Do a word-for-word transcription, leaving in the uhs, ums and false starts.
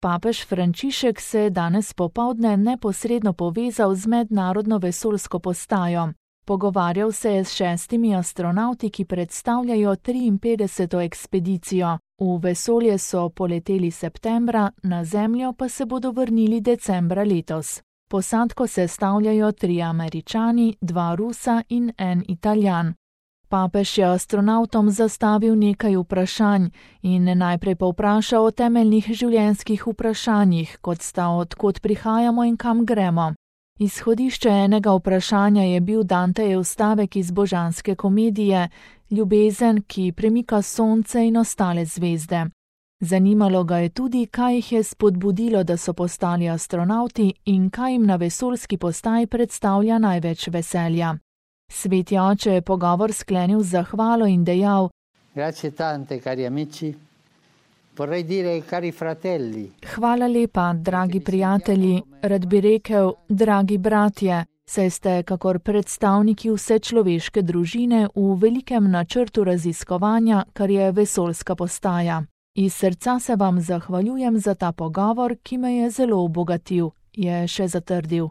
Papež Frančišek se je danes popoldne neposredno povezal z mednarodno vesoljsko postajo. Pogovarjal se je s šestimi astronavti, ki predstavljajo triinpetdeseto ekspedicijo. V vesolje so poleteli septembra, na Zemljo pa se bodo vrnili decembra letos. Posadko sestavljajo trije Američani, dva Rusa in en Italijan. Papež je astronavtom zastavil nekaj vprašanj in najprej povprašal o temeljnih življenjskih vprašanjih, kot sta odkot prihajamo in kam gremo. Izhodišče enega vprašanja je bil Dantejev stavek iz Božanske komedije, ljubezen, ki premika sonce in ostale zvezde. Zanimalo ga je tudi, kaj jih je spodbudilo, da so postali astronavti in kaj jim na vesoljski postaji predstavlja največ veselja. Sveti oče je pogovor sklenil z zahvalo in dejal: Grazie tante, cari amici. Vorrei dire, cari fratelli. Hvala lepa, dragi prijatelji, rad bi rekel, dragi bratje, saj ste kakor predstavniki vse človeške družine v velikem načrtu raziskovanja, kar je vesoljska postaja. Iz srca se vam zahvaljujem za ta pogovor, ki me je zelo obogatil, je še zatrdil.